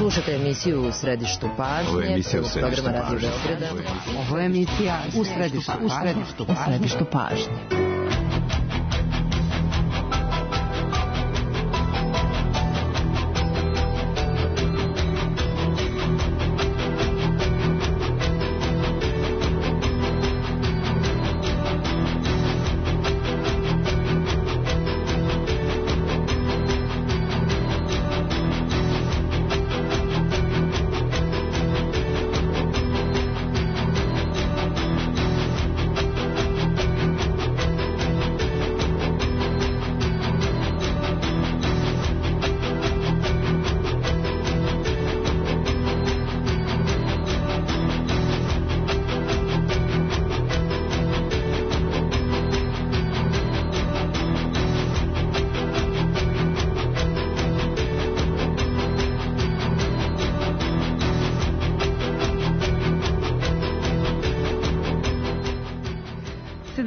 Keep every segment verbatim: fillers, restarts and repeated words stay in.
Slušajte emisiju U središtu pažnje. Ovo je emisija U središtu pažnje. Ovo je emisija U središtu pažnje. U središtu pažnje.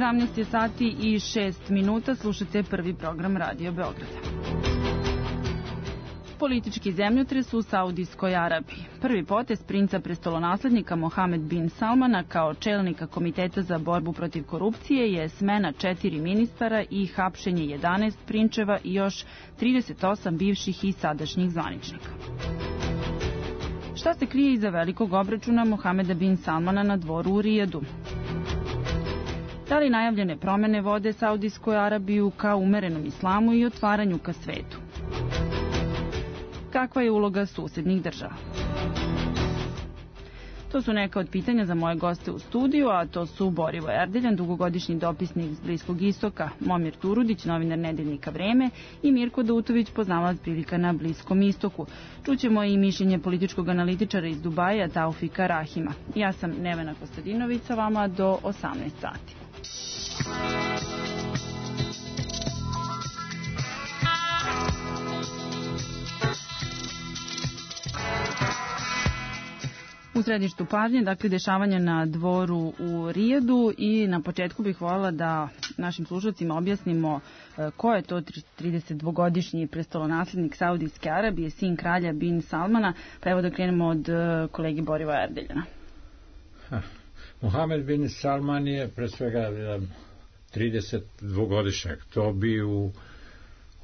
sedamnaest je sati i šest minuta, slušate prvi program Radio Beograda. Politički zemljotres u Saudijskoj Arabiji. Prvi potez princa prestolonaslednika Mohamed bin Salmana kao čelnika Komiteta za borbu protiv korupcije je smena četiri ministara i hapšenje jedanaest prinčeva i još trideset osam bivših i sadašnjih zvaničnika. Šta se krije iza velikog obračuna Mohameda bin Salmana na dvoru u Rijadu? Da li najavljene promene vode Saudijsku Arabiju ka umerenom islamu i otvaranju ka svetu? Kakva je uloga susednih država? To su neka od pitanja za moje goste u studiju, a to su Borivo Erdeljan, dugogodišnji dopisnik iz Bliskog istoka, Momir Turudić, novinar nedeljnika Vreme i Mirko Dautović, poznavalac prilika na Bliskom istoku. Čućemo i mišljenje političkog analitičara iz Dubaja, Taufika Rahima. Ja sam Nevena Kostadinović, sa vama do osamnaest sati. U središtu pažnje, dakle, dešavanja na dvoru u Rijadu i na početku bih voljela da našim slušalcima objasnimo ko je to tridesetdvogodišnji prestolonaslednik Saudijske Arabije, sin kralja bin Salmana, pa evo da krenemo od kolegi Boriva Erdeljana. Mohamed bin Salman je pre svega tridesetdvogodišnjak. To bi u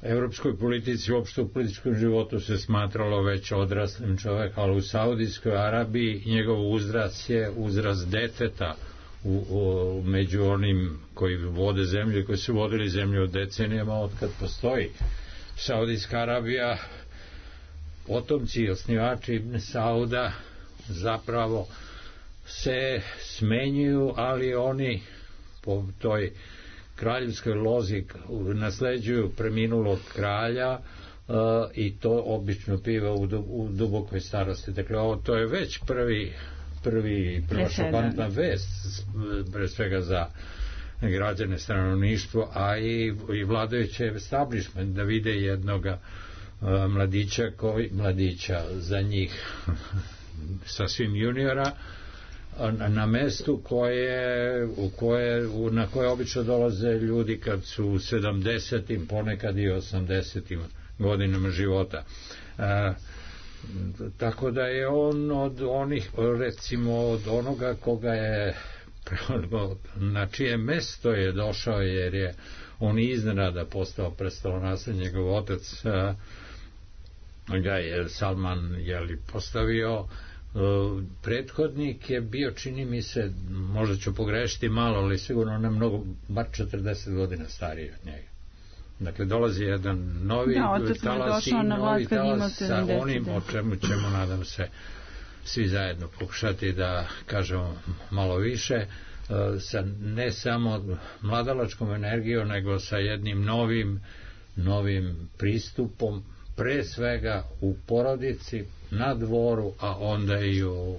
evropskoj politici, uopšte u političkom životu se smatralo već odraslim čovek, ali u Saudijskoj Arabiji njegov uzrast je uzrast deteta u, u, među onim koji vode zemlju i koji su vodili zemlju decenijama od kad postoji Saudijska Arabija. Potomci i osnivači Ibn Sauda zapravo se smenjuju, ali oni po toj kraljevskoj lozi nasleđuju preminulog kralja uh, i to obično piva u, u dubokoj starosti. Dakle, ovo to je već prvi prvi prva šokantna vest, pre svega za građane, stanovništvo, a i, i vladajuće establishment, da vide jednoga uh, mladića, koji, mladića za njih sasvim juniora, na mestu koje, u koje, na koje obično dolaze ljudi kad su u sedamdesetim, ponekad i osamdesetim godinama života. E, tako da je on od onih, recimo od onoga koga je, na čije mesto je došao, jer je on iznenada postao prestolonaslednik, njegov otac a, ga je Salman jeli, postavio. Uh, prethodnik je bio, čini mi se, možda ću pogrešiti malo, ali sigurno ne mnogo, bar četrdeset godina stariji od njega. Dakle, dolazi jedan novi da, talas i novi talas sa onim o čemu ćemo, nadam se, svi zajedno pokušati da kažemo malo više, uh, sa ne samo mladalačkom energijom, nego sa jednim novim novim pristupom, pre svega u porodici, na dvoru, a onda i u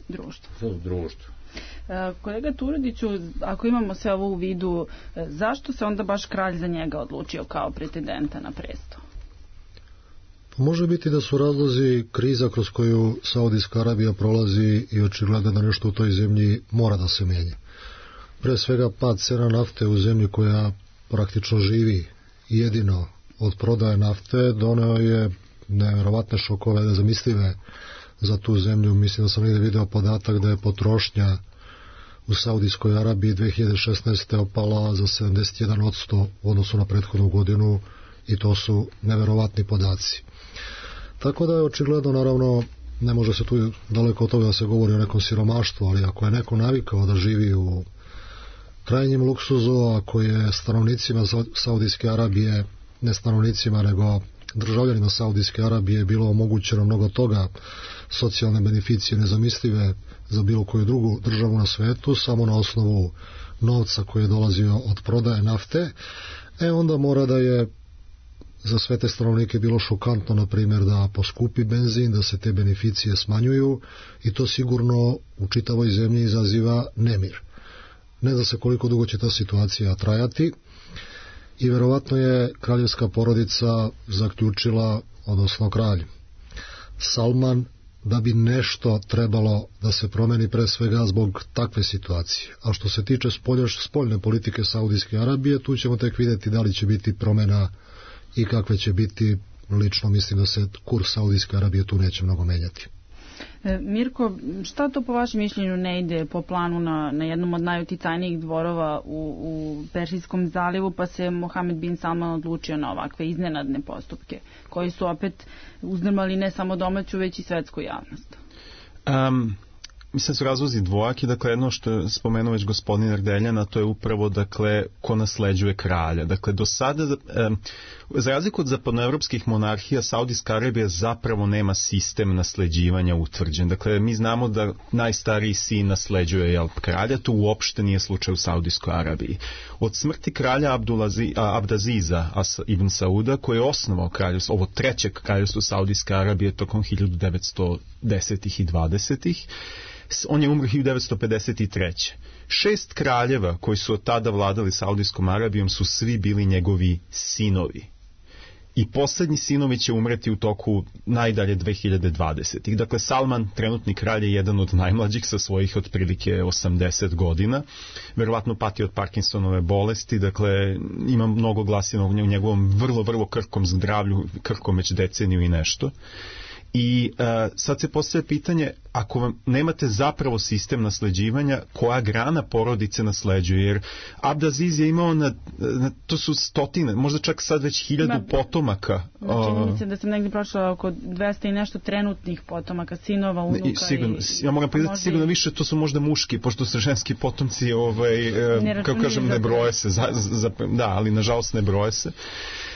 društvu. U društvu. E, kolega Turudiću, ako imamo sve ovo u vidu, e, zašto se onda baš kralj za njega odlučio kao pretendenta na presto? Može biti da su razlozi kriza kroz koju Saudijska Arabija prolazi i očigledno da nešto u toj zemlji mora da se menja. Pre svega pad cena nafte u zemlji koja praktično živi jedino od prodaje nafte doneo je nevjerovatne šokove, nezamislive za tu zemlju. Mislim da sam negdje video podatak da je potrošnja u Saudijskoj Arabiji dve hiljade šesnaeste. opala za sedamdeset jedan posto u odnosu na prethodnu godinu i to su nevjerovatni podaci. Tako da je očigledno, naravno, ne može se tu daleko od toga da se govori o nekom siromaštvu, ali ako je neko navikao da živi u krajnjem luksuzu, ako je stanovnicima Saudijske Arabije, ne stanovnicima nego državljanima Saudijske Arabije bilo omogućeno mnogo toga, socijalne beneficije nezamislive za bilo koju drugu državu na svetu, samo na osnovu novca koji je dolazio od prodaje nafte, e onda mora da je za sve te stanovnike bilo šokantno, na primjer, da poskupi benzin, da se te beneficije smanjuju i to sigurno u čitavoj zemlji izaziva nemir. Ne zna se koliko dugo će ta situacija trajati i verovatno je kraljevska porodica zaključila, odnosno kralj Salman, da bi nešto trebalo da se promeni pre svega zbog takve situacije. A što se tiče spoljne politike Saudijske Arabije, tu ćemo tek vidjeti da li će biti promjena i kakve će biti. Lično mislim da se kurs Saudijske Arabije tu neće mnogo menjati. Mirko, šta to po vašem mišljenju ne ide po planu na, na jednom od najuticajnijih dvorova u, u Perzijskom zalivu, pa se Mohamed bin Salman odlučio na ovakve iznenadne postupke, koji su opet uzdrmali ne samo domaću, već i svetsku javnost? Um, mislim da su razlozi dvojaki. Dakle, jedno što je spomenuo već gospodin Erdeljana, to je upravo, dakle, ko nasleđuje kralja. Dakle, do sada, um, za razliku od zapadnoevropskih monarhija, Saudijska Arabija zapravo nema sistem nasleđivanja utvrđen. Dakle, mi znamo da najstariji sin nasleđuje, jel, kralja, to uopšte nije slučaj u Saudijskoj Arabiji. Od smrti kralja Abdulazi, a, Abdaziza ibn Sauda, koji je osnovao kraljevstvo, ovo treće kraljevstvo Saudijske Arabije tokom hiljadu devetsto desetih i dvadesetih, on je umro hiljadu devetsto pedeset treće. Šest kraljeva koji su od tada vladali Saudijskom Arabijom su svi bili njegovi sinovi. I poslednji sinovi će umreti u toku najdalje dve hiljade dvadesetih. Dakle, Salman, trenutni kralj, je jedan od najmlađih sa svojih otprilike osamdeset godina. Verovatno pati od Parkinsonove bolesti, dakle, ima mnogo glasina u njegovom vrlo, vrlo krhkom zdravlju, krhkom već deceniju i nešto. I uh, sad se postavlja pitanje, ako vam nemate zapravo sistem nasleđivanja, koja grana porodice nasleđuje? Jer Abdaziz je imao, na, na, to su stotine, možda čak sad već hiljadu Ma, potomaka. Čini mi se da sam negdje prošla oko dvesta i nešto trenutnih potomaka, sinova, unuka. I, sigurno, i, ja moram priznati, sigurno više to su možda muški, pošto su ženski potomci, ovaj, kako kažem, ne broje se, za, za, da, ali nažalost ne broje se.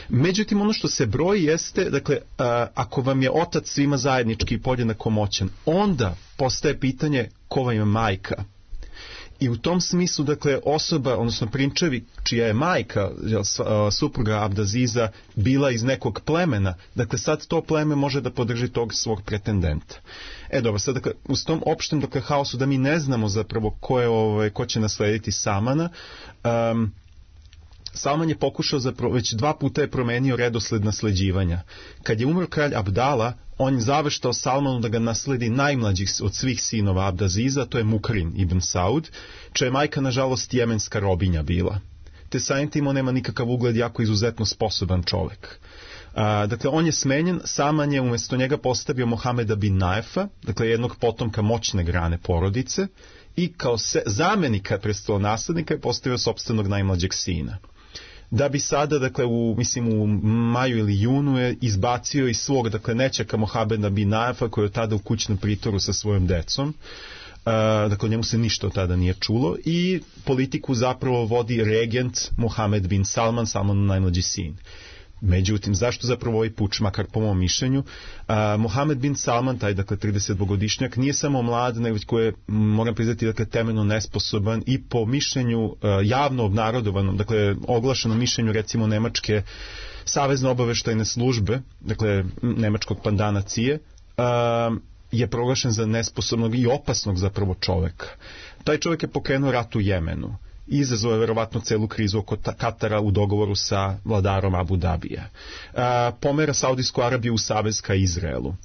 Međutim, ono što se broji jeste, dakle, a, ako vam je otac svima zajednički i podjednako moćan, onda postaje pitanje ko vam je majka. I u tom smislu, dakle, osoba, odnosno prinčevi, čija je majka, supruga Abdaziza, bila iz nekog plemena, dakle, sad to pleme može da podrži tog svog pretendenta. E, dobro, sad, dakle, u tom opštem, dakle, haosu da mi ne znamo zapravo ko, je, ovaj, ko će naslediti Salmana, um, Salman je pokušao, zapravo, već dva puta je promenio redosled nasleđivanja. Kad je umro kralj Abdala, on je zaveštao Salmanu da ga nasledi najmlađi od svih sinova Abdaziza, to je Mukrin ibn Saud, čija je majka, nažalost, jemenska robinja bila. Te samim tim on nema nikakav ugled, jako izuzetno sposoban čovek. A, dakle, on je smenjen, Salman je umjesto njega postavio Mohameda bin Naefa, dakle, jednog potomka moćne grane porodice, i kao se, zamenika prestolonaslednika je postavio sopstvenog najmlađeg sina. Da bi sada, dakle, u, mislim, u maju ili junu je izbacio iz svog, dakle, nećaka Mohameda bin Naefa, koji je tada u kućnom pritoru sa svojom decom. Uh, dakle, njemu se ništa od tada nije čulo i politiku zapravo vodi regent Mohamed bin Salman, Salmanov najmlađi sin. Međutim, zašto zapravo ovaj puč, makar po mom mišljenju? Uh, Mohamed bin Salman, taj, dakle, tridesetdvogodišnjak, nije samo mlad, nego koji je, moram priznati, dakle, temeljno nesposoban i po mišljenju uh, javno obnarodovanom, dakle, oglašenom mišljenju, recimo, Nemačke savezne obaveštajne službe, dakle, nemačkog pandana C I E, uh, je proglašen za nesposobnog i opasnog zapravo čoveka. Taj čovek je pokrenuo rat u Jemenu. Izazvao je verovatno celu krizu oko Katara u dogovoru sa vladarom Abu Dabija. A, pomera Saudijsku Arabiju u savez ka Izraelu.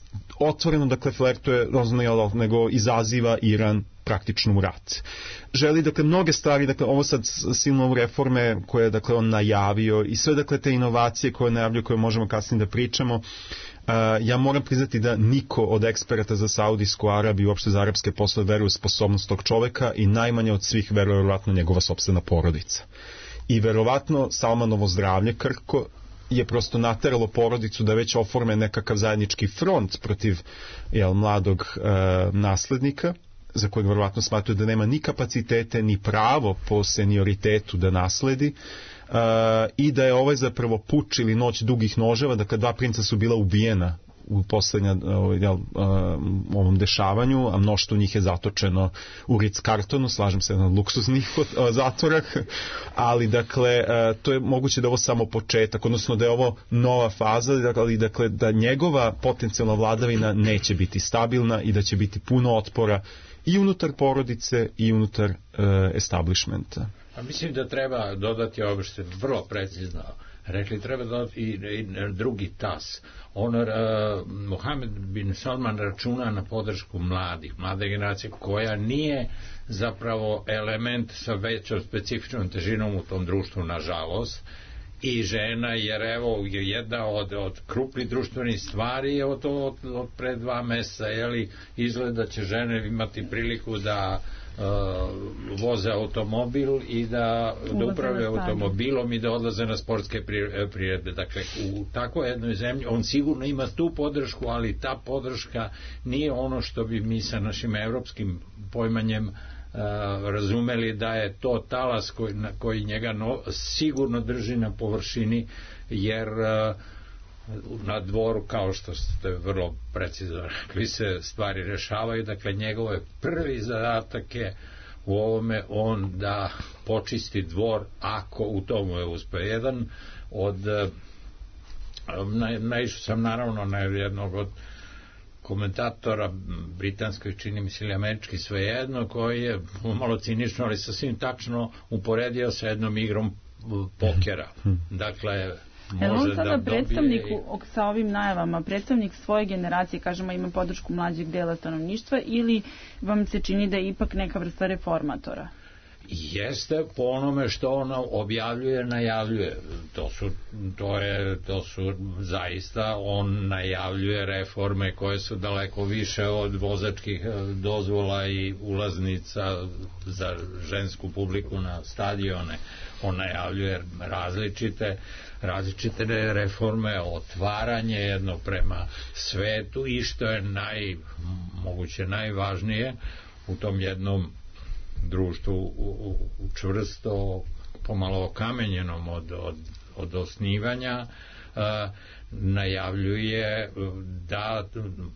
Otvoreno, dakle, flertuje, nego izaziva Iran praktično u rat. Želi, dakle, mnoge stvari, dakle, ovo sad silno reforme koje je, dakle, on najavio i sve, dakle, te inovacije koje najavljaju, koje možemo kasnije da pričamo, ja moram priznati da niko od eksperata za Saudijsku Arabiju i uopšte za arapske poslove veruje u sposobnost tog čoveka i najmanje od svih veruje verovatno njegova sopstvena porodica. I verovatno Salmanovo zdravlje krhko je prosto nateralo porodicu da već oforme nekakav zajednički front protiv jel, mladog e, naslednika, za kojeg verovatno smatruju da nema ni kapacitete ni pravo po senioritetu da nasledi, uh, i da je ovaj zapravo puč ili noć dugih noževa, dakle dva princa su bila ubijena u poslednja uh, jel, uh, ovom dešavanju, a mnoštvo njih je zatočeno u Ritz-Carltonu, slažem se na luksuznih uh, zatvorah, ali dakle uh, to je moguće da je ovo samo početak, odnosno da je ovo nova faza, ali dakle da njegova potencijalna vladavina neće biti stabilna i da će biti puno otpora i unutar porodice i unutar uh, establishmenta. A mislim da treba dodati ovo što je vrlo precizno rekli, treba dodati i, i drugi tas. On, uh, Mohamed bin Salman računa na podršku mladih, mlade generacije koja nije zapravo element sa većom specifičnom težinom u tom društvu, nažalost, i žena, jer evo je jedna od, od krupnih društvenih stvari je od, od, od pre dva meseca, jeli, izgleda će žene imati priliku da uh, voze automobil i da, da upravljaju automobilom i da odlaze na sportske priredbe. Dakle, u takvoj jednoj zemlji on sigurno ima tu podršku, ali ta podrška nije ono što bi mi sa našim evropskim pojmanjem Uh, razumeli da je to talas koji, na, koji njega no, sigurno drži na površini, jer uh, na dvoru, kao što ste vrlo precizno rekli, se stvari rešavaju. Dakle, njegov je prvi zadatak je u ovome on da počisti dvor, ako u tomu je uspeo. Jedan od uh, na, naišao sam naravno na jednog od komentatora britanskoj, čini mi se, ili američki, svejedno, koji je malo cinično, ali sasvim tačno uporedio sa jednom igrom pokera. Dakle, može da dobije... predstavnik sa ovim najavama, predstavnik svoje generacije, kažemo, ima podršku mlađeg dela stanovništva, ili vam se čini da je ipak neka vrsta reformatora? Jeste po onome što ona objavljuje, najavljuje. To su, to je, to su zaista, on najavljuje reforme koje su daleko više od vozačkih dozvola i ulaznica za žensku publiku na stadione. On najavljuje različite, različite reforme, otvaranje jedno prema svetu i što je naj, moguće najvažnije u tom jednom društvu u, u, u čvrsto, pomalo okamenjenom od, od, od osnivanja, a, najavljuje da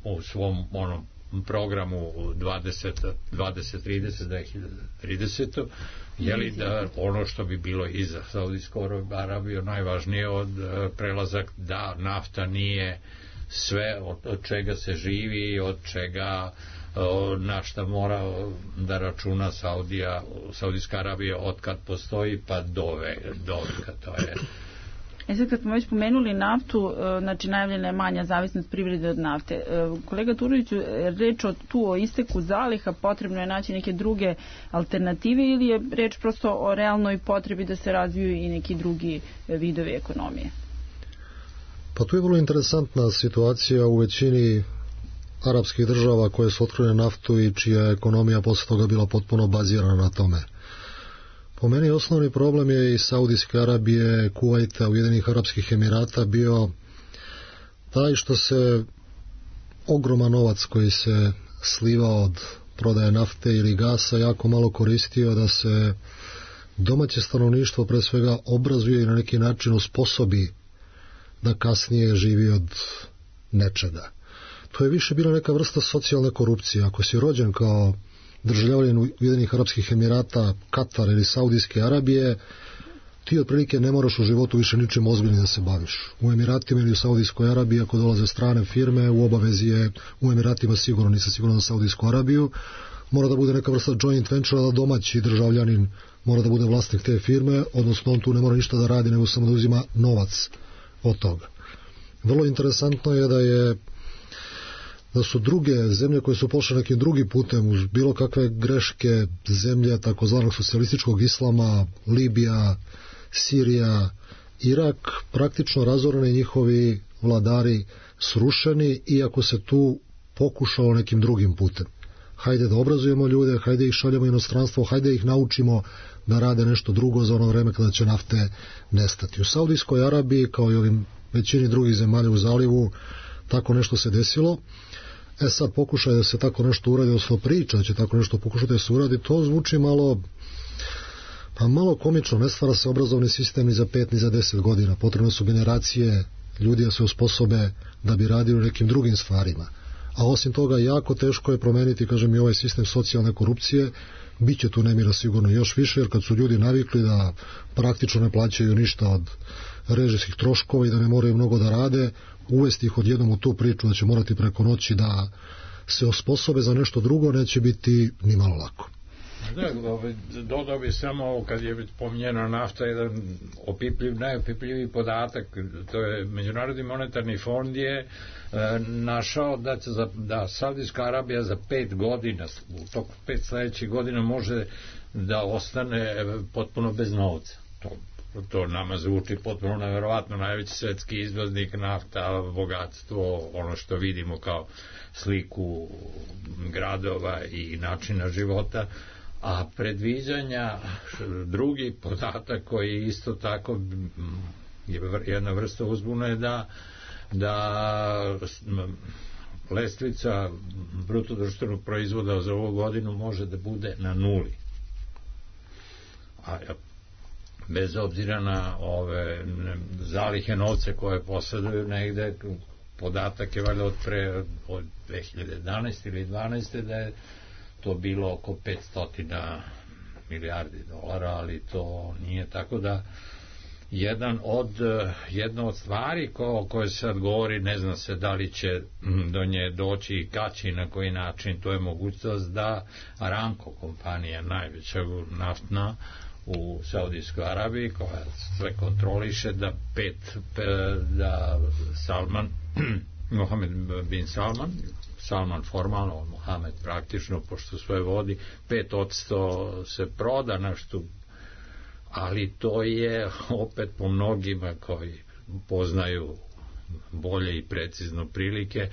u svom onom programu dvadeset trideset do trideset jeli da ono što bi bilo i za Saudijsku Arabiju najvažnije od prelazak da nafta nije sve od, od čega se živi i od čega na šta mora da računa Saudija, Saudijska Arabija od kad postoji pa dove, doveka, to je. E sad kad smo već pomenuli naftu, znači najavljena je manja zavisnost privrede od nafte. Kolega Turoviću, reč o, tu o isteku zaliha, potrebno je naći neke druge alternative ili je reč prosto o realnoj potrebi da se razviju i neki drugi vidovi ekonomije? Pa tu je vrlo interesantna situacija u većini arapskih država koje su otkrile naftu i čija ekonomija posle toga bila potpuno bazirana na tome. Po meni osnovni problem je i Saudijske Arabije, Kuvajta, Ujedinjenih Arapskih Emirata bio taj što se ogroman novac koji se slivao od prodaje nafte ili gasa jako malo koristio da se domaće stanovništvo pre svega obrazuje i na neki način osposobi da kasnije živi od nečega. To je više bila neka vrsta socijalne korupcije. Ako si rođen kao državljanin Ujedinjenih Arapskih Emirata, Katar ili Saudijske Arabije, ti otprilike ne moraš u životu više ničim ozbiljnim da se baviš. U Emiratima ili u Saudijskoj Arabiji, ako dolaze strane firme, u obavezi je u Emiratima sigurno, nisam sigurno za Saudijsku Arabiju, mora da bude neka vrsta joint venture, da domaći državljanin mora da bude vlasnik te firme, odnosno on tu ne mora ništa da radi, nego samo da uzima novac od toga. Vrlo interesantno je da je da su druge zemlje koje su pošle nekim drugim putem uz bilo kakve greške zemlje takozvanog socijalističkog islama, Libija, Sirija, Irak, praktično razoreni njihovi vladari srušeni, iako se tu pokušalo nekim drugim putem. Hajde da obrazujemo ljude, hajde ih šaljemo u inostranstvo, hajde ih naučimo da rade nešto drugo za ono vreme kada će nafte nestati. U Saudijskoj Arabiji, kao i ovim većini drugih zemalja u zalivu, tako nešto se desilo. E sad pokušaj da se tako nešto uradi, odnosno priča da će tako nešto pokušati da se uradi, to zvuči malo pa malo komično. Ne stvara se obrazovni sistem ni za pet ni za deset godina. Potrebno su generacije ljudi da se osposobe da bi radili u nekim drugim stvarima. A osim toga jako teško je promeniti, kažem, i ovaj sistem socijalne korupcije. Biće tu nemira sigurno još više, jer kad su ljudi navikli da praktično ne plaćaju ništa od režijskih troškova i da ne moraju mnogo da rade, uvesti ih odjednom u tu priču da će morati preko noći da se osposobe za nešto drugo, neće biti ni malo lako. Da, dodao bi samo, kad je pominjena nafta, jedan opipljiv, najopipljiviji podatak, to je Međunarodni monetarni fond je e, našao da, za, da Saudijska Arabija za pet godina, u toku pet sledećih godina može da ostane potpuno bez novca. To, to nama zvuči potpuno neverovatno, najveći svetski izvoznik, nafta, bogatstvo, ono što vidimo kao sliku gradova i načina života. A predviđanja, drugi podatak koji isto tako je jedna vrsta uzbune, da da lestvica bruto društvenog proizvoda za ovu godinu može da bude na nuli. A bez obzira na ove zalihe novce koje posjeduju negde, podatak je valjda od pre od dve hiljade jedanaeste ili dvanaeste da je to bilo oko petsto milijardi dolara, ali to nije, tako da jedan od, jedna od stvari ko, o kojoj se sad govori, ne zna se da li će do nje doći i kad će i na koji način, to je mogućnost da Aramco kompanija, najveća naftna u Saudijskoj Arabiji, koja sve kontroliše, da pet da Salman Mohamed bin Salman Salman formalno, Mohamed praktično, pošto sve vodi, pet odsto se proda nešto, ali to je opet po mnogima koji poznaju bolje i precizno prilike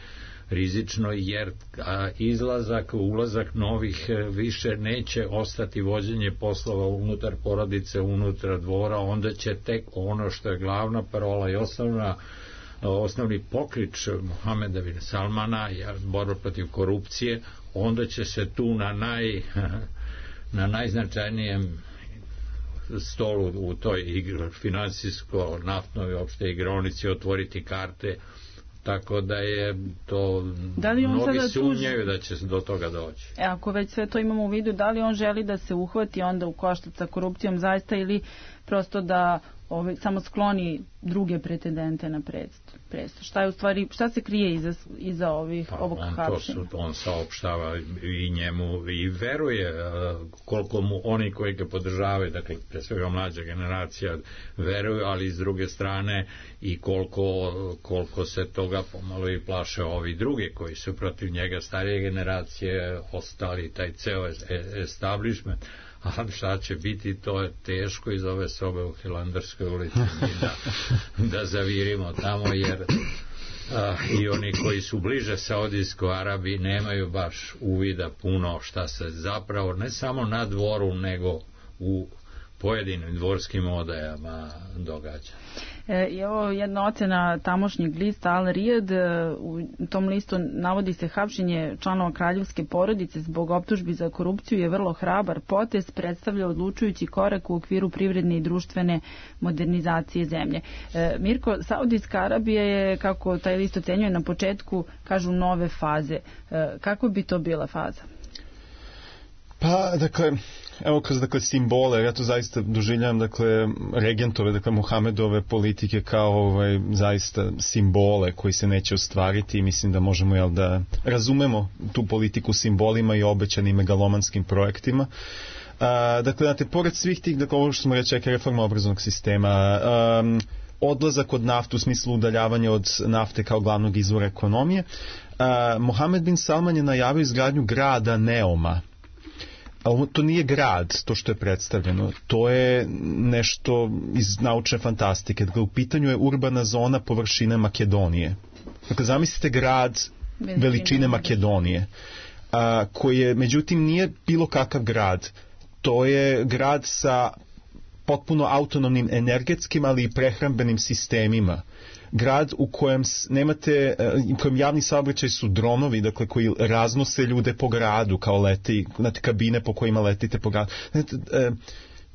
rizično, jer a, izlazak, ulazak novih više neće ostati vođenje poslova unutar porodice, unutar dvora, onda će tek ono što je glavna parola i osnovna osnovni poklič Mohameda bin Salmana, borba protiv korupcije, onda će se tu na naj na najznačajnijem stolu u toj finansijsko naftnoj opšte igronici otvoriti karte, tako da je to da mnogi sumnjaju da će do toga doći. E, ako već sve to imamo u vidu, da li on želi da se uhvati onda u koštac sa korupcijom zaista, ili prosto da Ove, samo skloni druge pretendente na presto? Šta je u stvari, šta se krije iza, iza ovih, pa, ovog hapšenja? On saopštava i njemu i veruje koliko mu oni koji ga podržavaju, dakle pre svega mlađa generacija veruju, ali s druge strane i koliko, koliko se toga pomalo i plaše ovi drugi koji su protiv njega, starije generacije, ostali taj ceo establishment. A šta će biti, to je teško iz ove sobe u Hilandarskoj ulici da, da zavirimo tamo, jer a, i oni koji su bliže Saudijskoj Arabiji nemaju baš uvida puno šta se zapravo ne samo na dvoru nego u pojedinim dvorskim odajama događa. E, I ovo jedna ocena tamošnjeg lista Al Riyad, u tom listu navodi se hapšenje članova kraljevske porodice zbog optužbi za korupciju je vrlo hrabar potez, predstavlja odlučujući korak u okviru privredne i društvene modernizacije zemlje. E, Mirko, Saudijska Arabija je, kako taj list ocenjuje, na početku, kažu, nove faze. E, kako bi to bila faza? Pa, dakle, evo kroz dakle, simbole, ja to zaista doživljam, dakle, regentove, dakle, Muhamedove politike kao ovaj, zaista simbole koji se neće ostvariti i mislim da možemo, jel, da razumemo tu politiku simbolima i obećanim megalomanskim projektima. A, dakle, znate, pored svih tih, dakle, ovo što smo reći, reforma obrazovnog sistema, um, odlazak od nafte u smislu udaljavanja od nafte kao glavnog izvora ekonomije, a, Mohamed bin Salman je najavio izgradnju grada Neoma. ali to nije grad, to što je predstavljeno, to je nešto iz naučne fantastike. Dakle, u pitanju je urbana zona površine Makedonije. Dakle, zamislite grad veličine Makedonije, a, koji je, međutim, nije bilo kakav grad. To je grad sa potpuno autonomnim energetskim, ali i prehrambenim sistemima. Grad u kojem nemate, u kojem javni saobraćaj su dronovi, dakle, koji raznose ljude po gradu, kao leti, znate, kabine po kojima letite po gradu. Znate, e,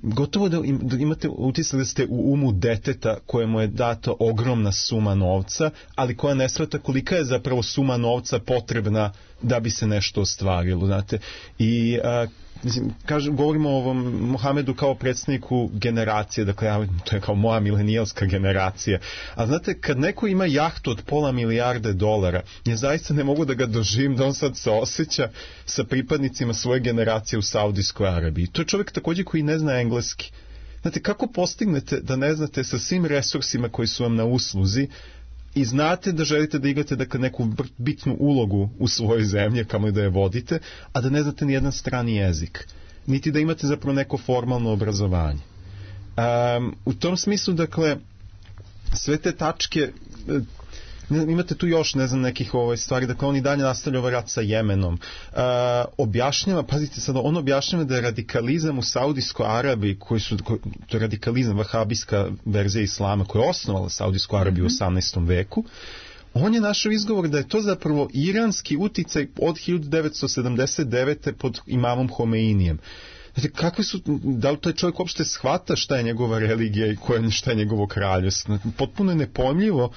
gotovo da, im, da imate utisak da ste u umu deteta kojemu je data ogromna suma novca, ali koja ne shvata kolika je zapravo suma novca potrebna da bi se nešto ostvarilo, znate. I a, mislim, kažem, govorimo o ovom Mohamedu kao predstavniku generacije, dakle, ja, to je kao moja milenijalska generacija. A znate, kad neko ima jahtu od pola milijarde dolara, ja zaista ne mogu da ga doživim da on sad se osjeća sa pripadnicima svoje generacije u Saudijskoj Arabiji. To je čovjek također koji ne zna engleski. Znate, kako postignete da ne znate sa svim resursima koji su vam na usluzi i znate da želite da igrate, dakle, neku bitnu ulogu u svojoj zemlji, kamo da je vodite, a da ne znate ni jedan strani jezik, niti da imate zapravo neko formalno obrazovanje. Um, u tom smislu, dakle, sve te tačke, imate tu još, ne znam, nekih ovaj stvari, dakle, on i dalje nastavlja ovaj rat sa Jemenom. Uh, objašnjava, pazite sad, on objašnjava da je radikalizam u Saudijskoj Arabiji, koji su, koji, to je radikalizam, vahabijska verzija islama, koja je osnovala Saudijsku Arabiju mm-hmm. u osamnaestom veku, on je našao izgovor da je to zapravo iranski uticaj od hiljadu devetsto sedamdeset devete pod imamom Homeinijem. Znači, kakve su, da li taj čovjek uopšte shvata šta je njegova religija i koja, šta je njegovo kraljevstvo? Potpuno je nepojmljivo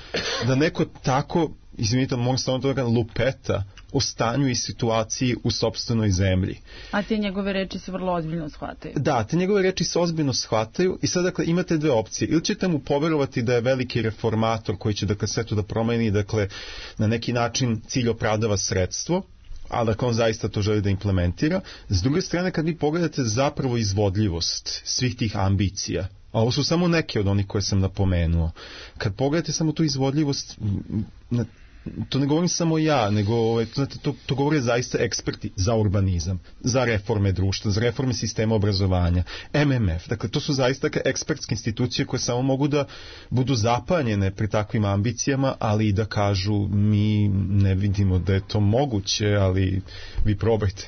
da neko tako, izvinite, mogu samo to da lupeta o stanju i situaciji u sopstvenoj zemlji. A te njegove reči se vrlo ozbiljno shvataju. Da, te njegove reči se ozbiljno shvataju i sad, dakle, imate dve opcije. Ili ćete mu poverovati da je veliki reformator koji će, dakle, sve to da promeni, dakle, na neki način cilj opravdava sredstvo, ali dakle on zaista to želi da implementira. S druge strane, kad vi pogledate zapravo izvodljivost svih tih ambicija, a ovo su samo neke od onih koje sam napomenuo, kad pogledate samo tu izvodljivost, to ne govorim samo ja, nego znate, to, to govore zaista eksperti za urbanizam, za reforme društva, za reforme sistema obrazovanja, M M F, dakle to su zaista ekspertske institucije koje samo mogu da budu zapanjene pri takvim ambicijama, ali i da kažu mi ne vidimo da je to moguće, ali vi probajte.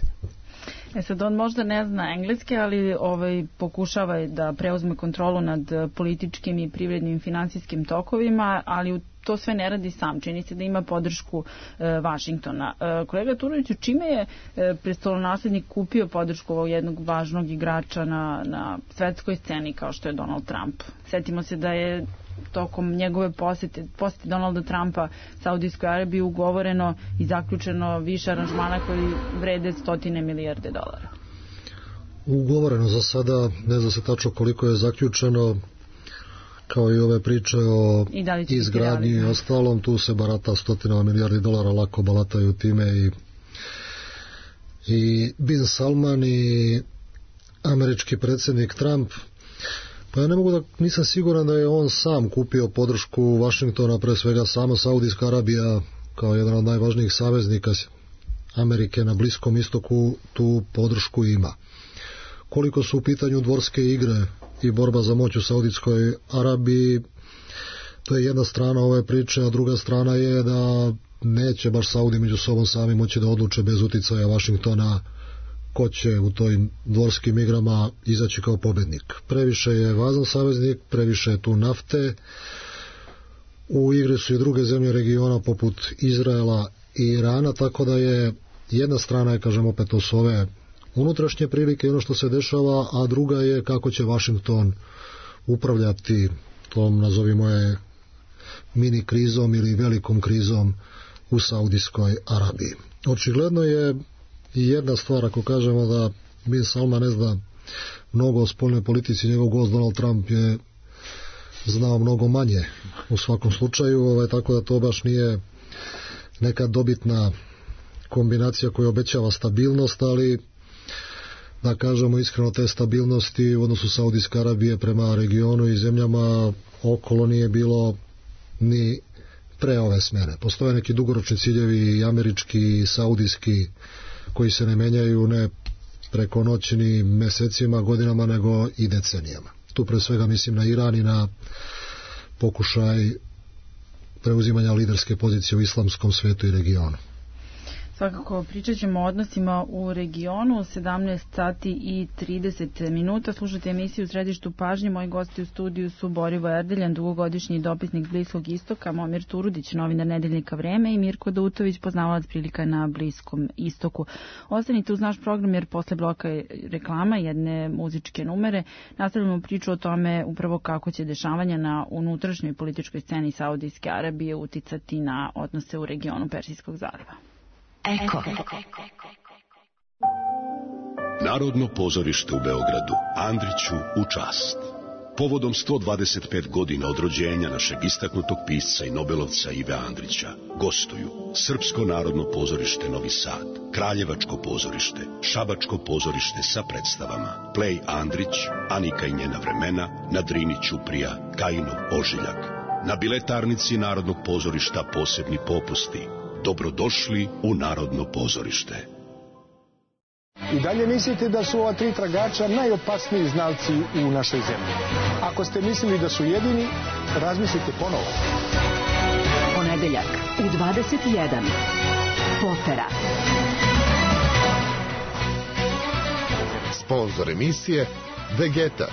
E sad, on možda ne zna engleski, ali ovaj, pokušava da preuzme kontrolu nad političkim i privrednim finansijskim tokovima, ali u to sve ne radi sam. Čini se da ima podršku e, Vašingtona. E, kolega Turoviću, čime je e, prestolonaslednik kupio podršku ovog jednog važnog igrača na, na svetskoj sceni kao što je Donald Trump? Sjetimo se da je tokom njegove posete, posete Donalda Trumpa Saudijskoj Arabiji ugovoreno i zaključeno više aranžmana koji vrede stotine milijarde dolara. Ugovoreno za sada, ne zna se tačno koliko je zaključeno, kao i ove priče o izgradnji i ostalom, tu se barata stotina milijardi dolara, lako balataju time i, i Bin Salman i američki predsjednik Trump. Pa ja ne mogu da, nisam siguran da je on sam kupio podršku Vašingtona, pre svega samo Saudijska Arabija kao jedan od najvažnijih saveznika Amerike na Bliskom istoku tu podršku ima. Koliko su u pitanju dvorske igre i borba za moć u Saudijskoj Arabiji, to je jedna strana ove priče, a druga strana je da neće baš Saudi među sobom sami moći da odluče bez uticaja Vašingtona ko će u toj dvorskim igrama izaći kao pobednik. Previše je važan saveznik, previše je tu nafte, u igri su i druge zemlje regiona poput Izraela i Irana, tako da je jedna strana je, kažem opet, to su ove unutrašnje prilike i ono što se dešava, a druga je kako će Vašington upravljati tom, nazovimo je, mini krizom ili velikom krizom u Saudijskoj Arabiji. Očigledno je i jedna stvar, ako kažemo da Bin Salman ne zna mnogo o spoljnoj politici, njegov gost Donald Trump je znao mnogo manje u svakom slučaju, ovaj, tako da to baš nije neka dobitna kombinacija koja obećava stabilnost, ali da kažemo iskreno, te stabilnosti u odnosu Saudijske Arabije prema regionu i zemljama okolo nije bilo ni pre ove smjene. Postoje neki dugoročni ciljevi, i američki i saudijski, koji se ne menjaju, ne preko noći ni mesecima, godinama, nego i decenijama. Tu pre svega mislim na Iran i na pokušaj preuzimanja liderske pozicije u islamskom svetu i regionu. Svakako pričat ćemo o odnosima u regionu. Sedamnaest sati i trideset minuta. Slušate emisiju u Središtu pažnje. Moji gosti u studiju su Borivo Erdeljan, dugogodišnji dopisnik Bliskog istoka, Momir Turudić, novinar Nedeljnika Vreme i Mirko Dautović, poznavalac prilika na Bliskom istoku. Ostanite uz naš program jer posle bloka reklama, jedne muzičke numere, nastavljamo priču o tome upravo kako će dešavanja na unutrašnjoj političkoj sceni Saudijske Arabije uticati na odnose u regionu Persijskog zaliva. Eko. Narodno pozorište u Beogradu, Andriću u čast. Povodom sto dvadeset pet godina od rođenja našeg istaknutog pisca i nobelovca Ive Andrića gostuju Srpsko narodno pozorište Novi Sad, Kraljevačko pozorište, Šabačko pozorište sa predstavama Plej Andrić, Anika i njena vremena, na Drini Ćuprija, Kajinov ožiljak. Na biletarnici Narodnog pozorišta posebni popusti. Dobrodošli u Narodno pozorište. I dalje mislite da su ova tri tragača najopasniji znalci u našoj zemlji. Ako ste mislili da su jedini, razmislite ponovo. Ponedeljak u dvadeset jedan. Potera. Sponzor emisije Vegeta.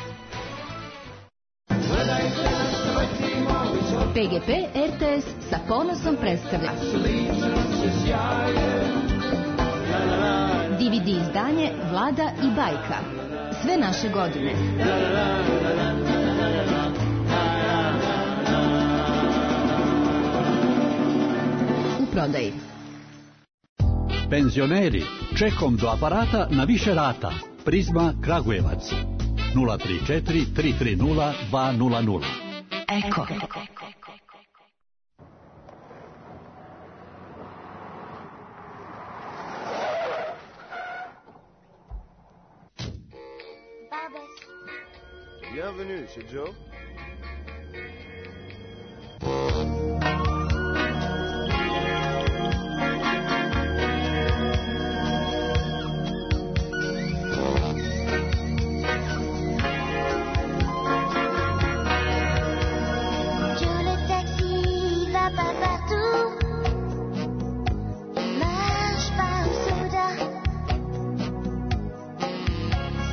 P G P R T S sa ponosom predstavlja D V D izdanje Vlada i bajka. Sve naše godine. U prodaji. Penzioneri, čekom do aparata na više rata. Prizma Kragujevac. nula tri četiri tri tri nula dva nula nula. Eko. Bienvenue, c'est Joe.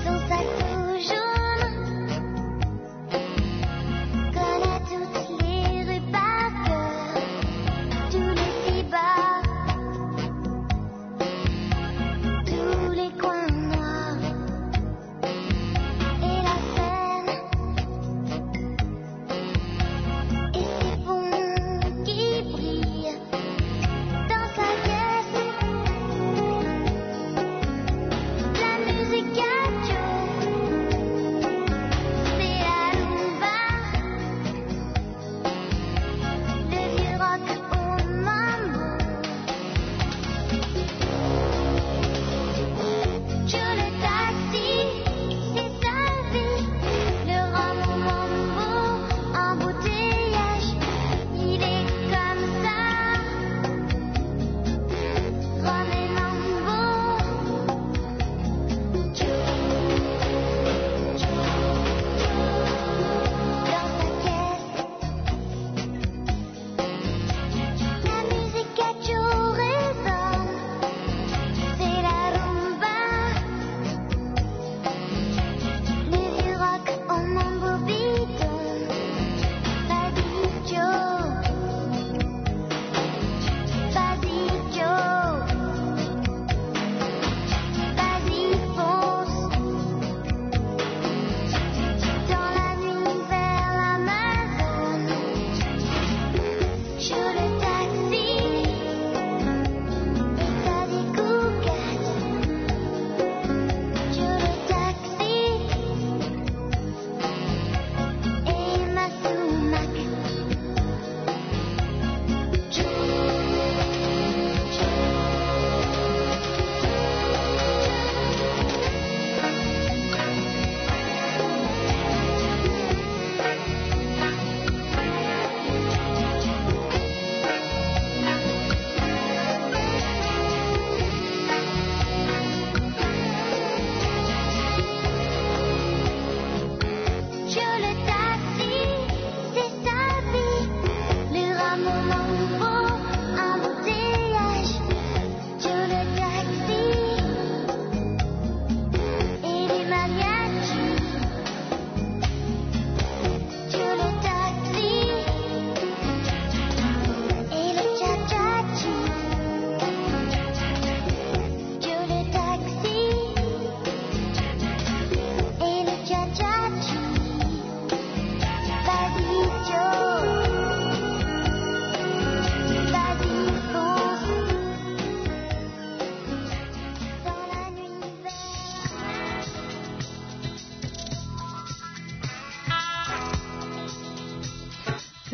Son sac rouge jaune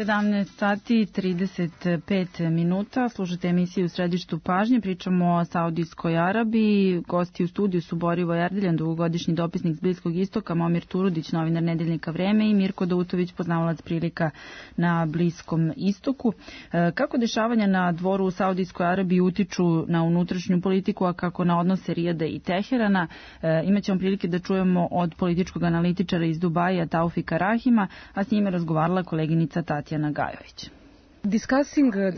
sedamnaest sati trideset pet minuta, slušate emisiju u središtu pažnje, pričamo o Saudijskoj Arabiji. Gosti u studiju su Borivoje Erdeljan, dugogodišnji dopisnik s Bliskog istoka, Momir Turudić, novinar Nedeljnika Vreme i Mirko Dautović, poznavalac prilika na Bliskom istoku. Kako dešavanja na dvoru u Saudijskoj Arabiji utiču na unutrašnju politiku, a kako na odnose Rijada i Teherana? Imaćemo prilike da čujemo od političkog analitičara iz Dubaja Taufika Rahima, a s njime razgovarala koleginica Tatjana Gajović.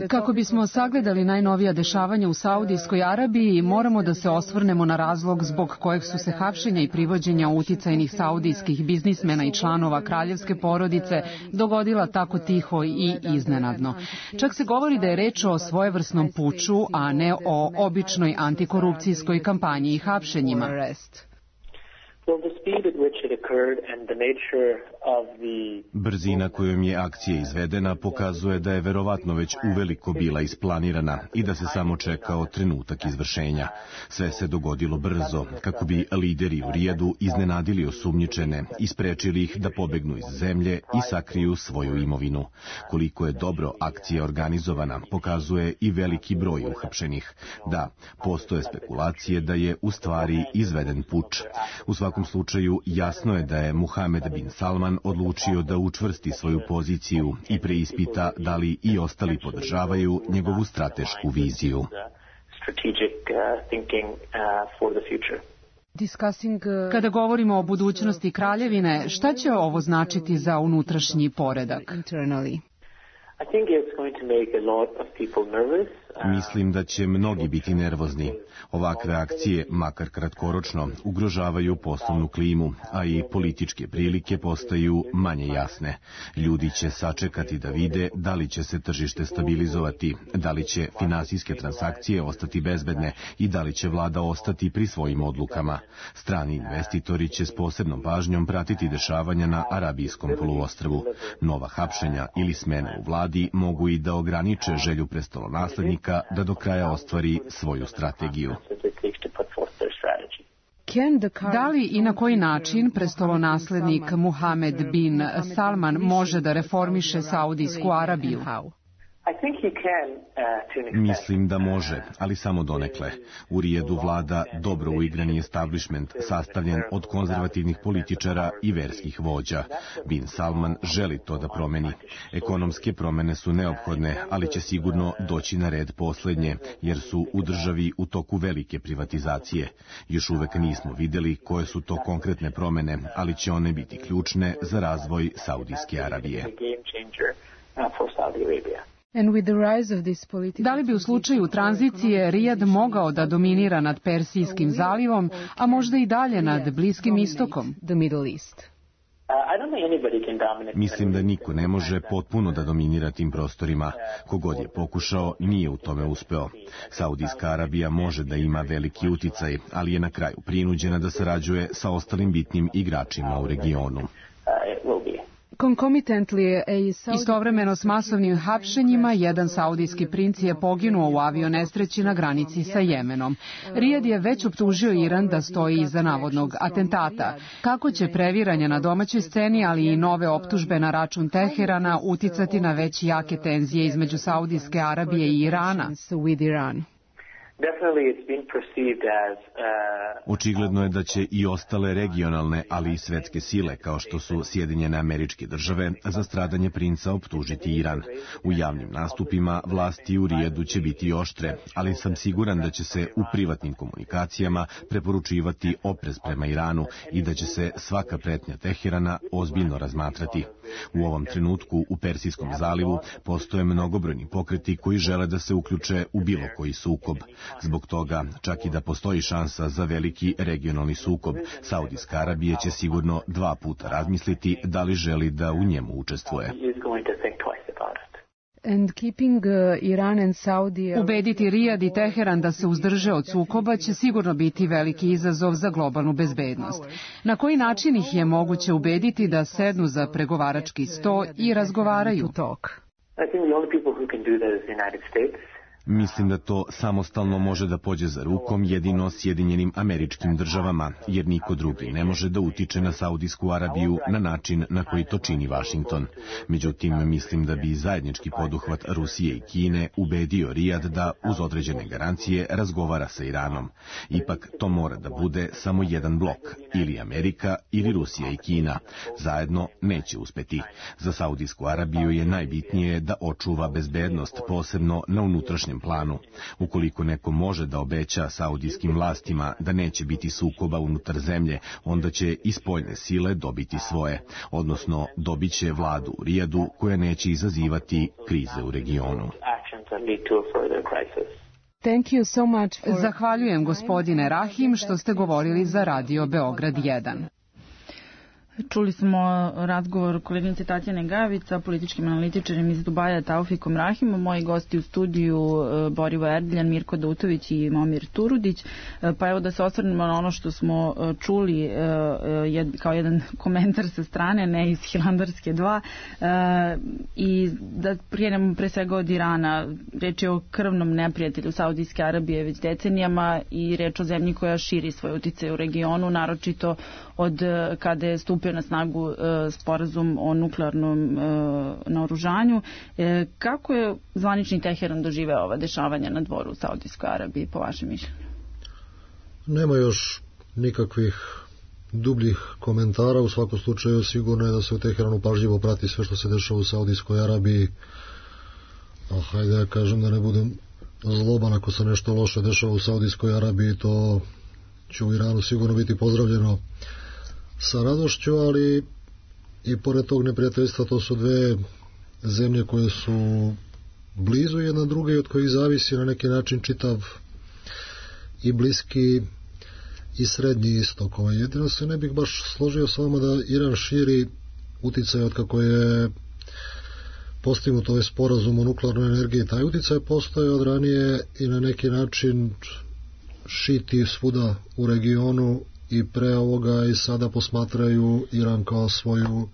Kako bismo sagledali najnovija dešavanja u Saudijskoj Arabiji, moramo da se osvrnemo na razlog zbog kojeg su se hapšenja i privođenja uticajnih saudijskih biznismena i članova kraljevske porodice dogodila tako tiho i iznenadno. Čak se govori da je reč o svojevrsnom puču, a ne o običnoj antikorupcijskoj kampanji i hapšenjima. Brzina kojom je akcija izvedena pokazuje da je verovatno već uveliko bila isplanirana i da se samo čekao trenutak izvršenja. Sve se dogodilo brzo, kako bi lideri u Rijadu iznenadili osumnjičene i sprečili ih da pobegnu iz zemlje i sakriju svoju imovinu. Koliko je dobro akcija organizovana, pokazuje i veliki broj uhapšenih. Da, postoje spekulacije da je u stvari izveden puč. U svakom slučaju, jasno je da je Muhamed bin Salman odlučio da učvrsti svoju poziciju i preispita da li i ostali podržavaju njegovu stratešku viziju. Kada govorimo o budućnosti kraljevine, šta će ovo značiti za unutrašnji poredak? Mislim da će mnogi biti nervozni. Ovakve akcije, makar kratkoročno, ugrožavaju poslovnu klimu, a i političke prilike postaju manje jasne. Ljudi će sačekati da vide da li će se tržište stabilizovati, da li će finansijske transakcije ostati bezbedne i da li će vlada ostati pri svojim odlukama. Strani investitori će s posebnom pažnjom pratiti dešavanja na Arabijskom poluostrvu. Nova hapšenja ili smene u vladi mogu i da ograniče želju prestolonaslednika da do kraja ostvari svoju strategiju. Da li i na koji način prestolonaslednik Muhamed bin Salman može da reformiše Saudijsku Arabiju? Mislim da može, ali samo donekle. U Rijadu vlada dobro uigrani establishment sastavljen od konzervativnih političara i verskih vođa. Bin Salman želi to da promeni. Ekonomske promene su neophodne, ali će sigurno doći na red poslednje, jer su u državi u toku velike privatizacije. Još uvek nismo videli koje su to konkretne promene, ali će one biti ključne za razvoj Saudijske Arabije. Da li bi u slučaju tranzicije Rijad mogao da dominira nad Persijskim zalivom, a možda i dalje nad Bliskim istokom? Mislim da niko ne može potpuno da dominira tim prostorima. Kogod je pokušao, nije u tome uspeo. Saudijska Arabija može da ima veliki uticaj, ali je na kraju prinuđena da sarađuje sa ostalim bitnim igračima u regionu. Istovremeno s masovnim hapšenjima, jedan saudijski princ je poginuo u avionesreći na granici sa Jemenom. Rijad je već optužio Iran da stoji iza navodnog atentata. Kako će previranja na domaćoj sceni, ali i nove optužbe na račun Teherana uticati na već jake tenzije između Saudijske Arabije i Irana? Očigledno je da će i ostale regionalne, ali i svetske sile, kao što su Sjedinjene Američke Države, za stradanje princa optužiti Iran. U javnim nastupima vlasti u Rijadu će biti oštre, ali sam siguran da će se u privatnim komunikacijama preporučivati oprez prema Iranu i da će se svaka pretnja Teherana ozbiljno razmatrati. U ovom trenutku u Persijskom zalivu postoje mnogobrojni pokreti koji žele da se uključe u bilo koji sukob. Zbog toga, čak i da postoji šansa za veliki regionalni sukob, Saudijska Arabija će sigurno dva puta razmisliti da li želi da u njemu učestvuje. Ubediti Rijad i Teheran da se uzdrže od sukoba će sigurno biti veliki izazov za globalnu bezbednost. Na koji način ih je moguće ubediti da sednu za pregovarački sto i razgovaraju? Mislim da to samostalno može da pođe za rukom jedino Sjedinjenim Američkim Državama, jer niko drugi ne može da utiče na Saudijsku Arabiju na način na koji to čini Vašington. Međutim, mislim da bi zajednički poduhvat Rusije i Kine ubedio Rijad da, uz određene garancije, razgovara sa Iranom. Ipak, to mora da bude samo jedan blok, ili Amerika, ili Rusija i Kina. Zajedno neće uspeti. Za Saudijsku Arabiju je najbitnije da očuva bezbednost, posebno na unutrašnjem planu. Ukoliko neko može da obeća saudijskim vlastima da neće biti sukoba unutar zemlje, onda će i spoljne sile dobiti svoje, odnosno dobit će vladu u Rijadu koja neće izazivati krize u regionu. Thank you so much for... Zahvaljujem gospodine Rahim što ste govorili za Radio Beograd jedan. Čuli smo razgovor koleginice Tatjane Gavić sa političkim analitičarem iz Dubaja Taufikom Rahimom, moji gosti u studiju Borivo Erdiljan, Mirko Dautović i Momir Turudić. Pa evo da se osvrnemo na ono što smo čuli kao jedan komentar sa strane, ne iz Hilandarske dva, i da prijenemo pre svega od Irana. Reč je o krvnom neprijatelju Saudijske Arabije već decenijama i reč o zemlji koja širi svoj uticaj u regionu, naročito od kada je stupio na snagu e, sporazum o nuklearnom e, naoružanju. E, kako je zvanični Teheran doživeo ova dešavanja na dvoru u Saudijskoj Arabiji, po vašem mišljenju? Nema još nikakvih dubljih komentara. U svakom slučaju sigurno je da se u Teheranu pažljivo prati sve što se dešava u Saudijskoj Arabiji. A hajde da kažem da ne budem zloban, ako se nešto loše dešava u Saudijskoj Arabiji, to će u Iranu sigurno biti pozdravljeno sa radošću, ali i pored tog neprijateljstva to su dve zemlje koje su blizu jedna druge i od kojih zavisi na neki način čitav i bliski i srednji istok. Jedino se ne bih baš složio s vama da Iran širi uticaj od kako je postignut ovaj sporazum o nuklearnoj energiji. Taj uticaj postoje od ranije i na neki način šiti svuda u regionu i pre ovoga i sada posmatraju Iran kao svoju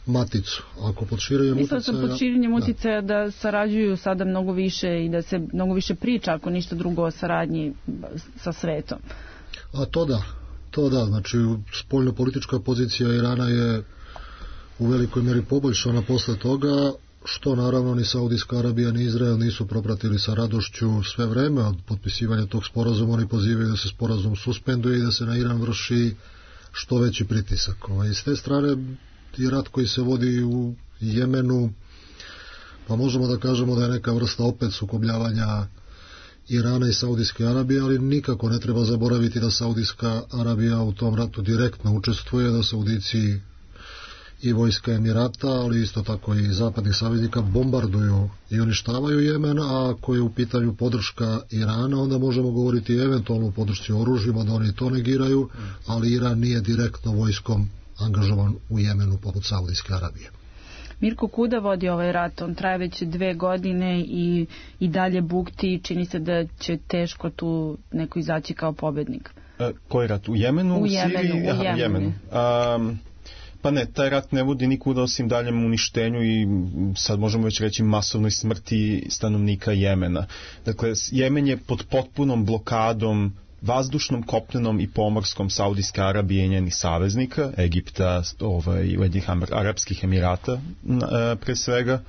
maticu. Ako pod širenjem uticaja... Mislim da pod širenjem uticaja da. da sarađuju sada mnogo više i da se mnogo više priča, ako ništa drugo, o saradnji sa svetom. A to da, to da. Znači, spoljno-politička pozicija Irana je u velikoj meri poboljšana posle toga, što naravno ni Saudijska Arabija ni Izrael nisu propratili sa radošću sve vreme. Od potpisivanja tog sporazuma oni pozivaju da se sporazum suspenduje i da se na Iran vrši što veći pritisak. I s te strane i rat koji se vodi u Jemenu, pa možemo da kažemo da je neka vrsta opet sukobljavanja Irana i Saudijske Arabije, ali nikako ne treba zaboraviti da Saudijska Arabija u tom ratu direktno učestvuje, da Saudici i vojska Emirata, ali isto tako i zapadnih saveznika bombarduju i uništavaju Jemen, a ako je u pitanju podrška Irana, onda možemo govoriti eventualno o podršci oružjima, da oni to negiraju, ali Iran nije direktno vojskom angažovan u Jemenu poput Saudijske Arabije. Mirko, kuda vodi ovaj rat? On traje već dve godine i, i dalje bukti. Čini se da će teško tu neko izaći kao pobednik. E, koji rat? U Jemenu? U Siriji? Jemenu. Aha, u Jemenu. Um, pa ne, taj rat ne vodi nikuda osim daljem uništenju i sad možemo već reći masovnoj smrti stanovnika Jemena. Dakle, Jemen je pod potpunom blokadom vazdušnom, kopnenom i pomorskom Saudijske Arabije i njenih saveznika, Egipta, ovaj, Ujedinjenih Arapskih Emirata pre svega,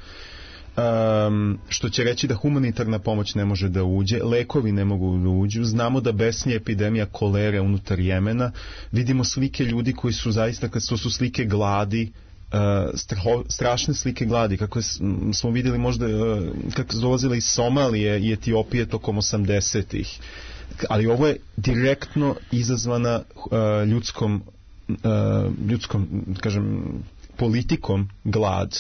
um, što će reći da humanitarna pomoć ne može da uđe, lekovi ne mogu da uđu, znamo da besni epidemija kolere unutar Jemena, vidimo slike ljudi koji su zaista, kad to su slike gladi, Uh, straho, strašne slike gladi, kako smo vidjeli možda uh, kako su dolazile iz Somalije i Etiopije tokom osamdesetih, ali ovo je direktno izazvana uh, ljudskom uh, ljudskom, kažem, politikom glad.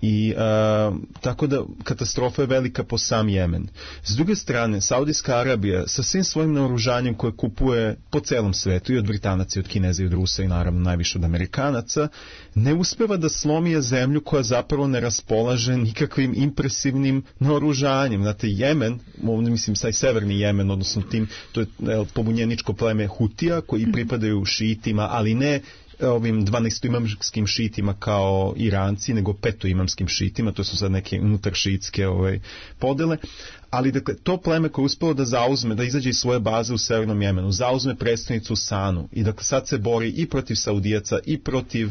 I uh, tako da katastrofa je velika po sam Jemen. S druge strane, Saudijska Arabija sa svim svojim naoružanjem koje kupuje po celom svetu, i od Britanaca, i od Kineza, i od Rusa, i naravno najviše od Amerikanaca, ne uspeva da slomi zemlju koja zapravo ne raspolaže nikakvim impresivnim naoružanjem. Znate, Jemen, ovdje mislim taj severni Jemen, odnosno tim, to je pobunjeničko pleme Hutija, koji pripadaju šiitima, ali ne ovim dvanaestoimamskim šiitima kao Iranci, nego petoimamskim šiitima, to su sad neke unutar šiitske ovaj, podele, Ali dakle, to pleme koje je uspelo da zauzme, da izađe iz svoje baze u Severnom Jemenu, zauzme predstavnicu Sanu i dakle sad se bori i protiv Saudijaca i protiv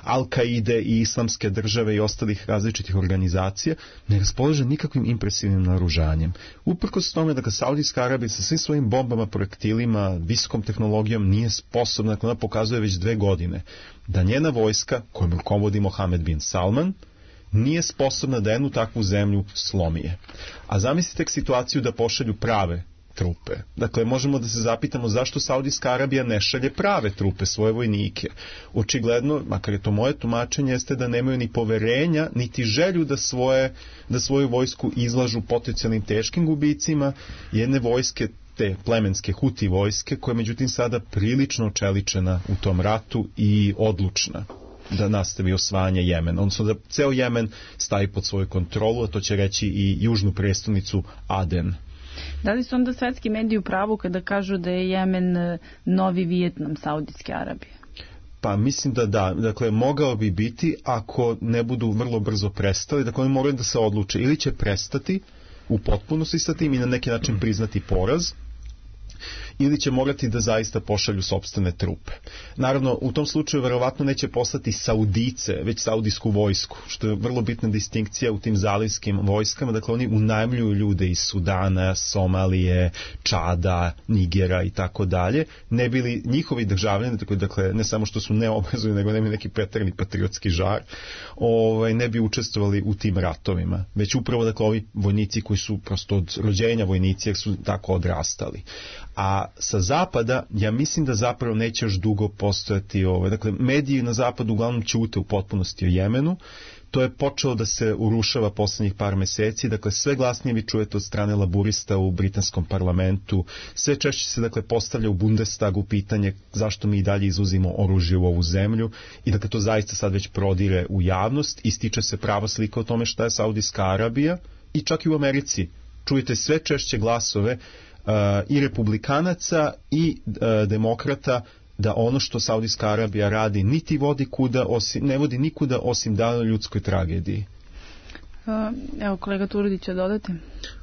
Al-Kaide i Islamske države i ostalih različitih organizacija, ne raspolaže nikakvim impresivnim naoružanjem. Uprkos tome, dakle, Saudijska Arabija sa svim svojim bombama, projektilima, visokom tehnologijom nije sposobna, dakle, ona pokazuje već dve godine da njena vojska, kojom rukovodi Mohamed bin Salman, nije sposobna da jednu takvu zemlju slomije. A zamislite tek situaciju da pošalju prave trupe. Dakle, možemo da se zapitamo zašto Saudijska Arabija ne šalje prave trupe, svoje vojnike. Očigledno, makar je to moje tumačenje, jeste da nemaju ni poverenja, niti želju da, svoje, da svoju vojsku izlažu potencijalnim teškim gubicima jedne vojske, te plemenske Huti vojske, koja je međutim sada prilično očeličena u tom ratu i odlučna da nastavi osvajanje Jemena. Odnosno da ceo Jemen stavi pod svoju kontrolu, a to će reći i južnu prestonicu Aden. Da li su onda svetski mediji u pravu kada kažu da je Jemen novi Vijetnam Saudijske Arabije? Pa mislim da da. Dakle, mogao bi biti ako ne budu vrlo brzo prestali. Dakle, oni moraju da se odluče. Ili će prestati u potpunosti sa tim i na neki način priznati poraz, ili će morati da zaista pošalju sopstvene trupe. Naravno, u tom slučaju verovatno neće poslati Saudice, već saudijsku vojsku, što je vrlo bitna distinkcija u tim zalivskim vojskama. Dakle, oni unajmljuju ljude iz Sudana, Somalije, Čada, Nigera i tako dalje, ne bili njihovi državljani, dakle, ne samo što su neobrazovani, nego nemaju neki preterani patriotski žar, ovaj, ne bi učestvovali u tim ratovima. Već upravo, dakle, ovi vojnici koji su prosto od rođenja vojnici, jer su tako odrastali. A sa zapada, ja mislim da zapravo neće još dugo postojati ovo. Dakle, mediji na zapadu uglavnom ćute u potpunosti o Jemenu. To je počelo da se urušava poslednjih par meseci. Dakle, sve glasnije vi čujete od strane laburista u britanskom parlamentu. Sve češće se, dakle, postavlja u Bundestagu pitanje zašto mi i dalje izvozimo oružje u ovu zemlju. I dakle, to zaista sad već prodire u javnost. Ističe se prava slika o tome šta je Saudijska Arabija. I čak i u Americi čujete sve češće glasove Uh, i republikanaca i uh, demokrata da ono što Saudijska Arabija radi niti vodi kuda osim, ne vodi nikuda osim dalje ljudskoj tragediji. Uh, evo kolega Turudić će dodati.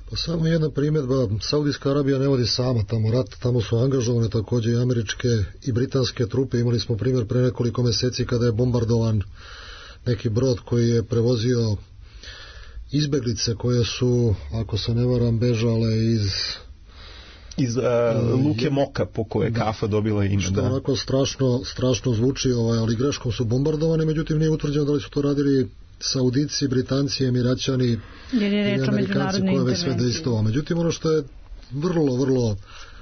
Pa samo jedna primjedba, Saudijska Arabija ne vodi sama tamo rat, tamo su angažovane također i američke i britanske trupe. Imali smo primjer pre nekoliko meseci kada je bombardovan neki brod koji je prevozio izbeglice koje su, ako se ne varam, bežale iz iz uh, luke Moka po koje kafa dobila ime. Što onako strašno, strašno zvuči, ovaj, ali greškom su bombardovani, međutim nije utvrđeno da li su to radili Saudici, Britanci, Emiraćani i Amerikanci koje već sve dejstvovalo. Međutim, ono što je vrlo, vrlo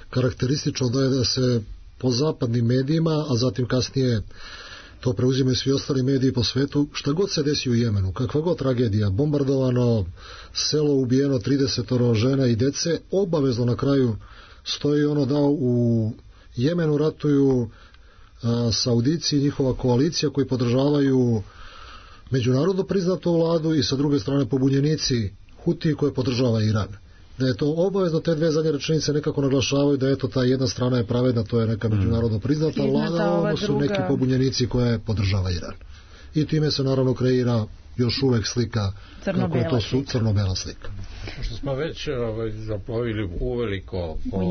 karakteristično da je da se po zapadnim medijima, a zatim kasnije to preuzimaju svi ostali mediji po svetu, šta god se desi u Jemenu, kakva god tragedija, bombardovano, selo ubijeno, trideset žena i dece, obavezno na kraju stoji ono da u Jemenu ratuju a, Saudici i njihova koalicija koji podržavaju međunarodno priznatu vladu i sa druge strane pobunjenici Huti koje podržava Iran. Da je to obavezno, te dve zadnje rečenice nekako naglašavaju da eto ta jedna strana je pravedna, to je neka međunarodno priznata vlada, a ono su neki pobunjenici koje podržava Iran. I time se naravno kreira još uvek slika kako je to su crno-bela slika. Što smo već ovaj, zaplovili uveliko po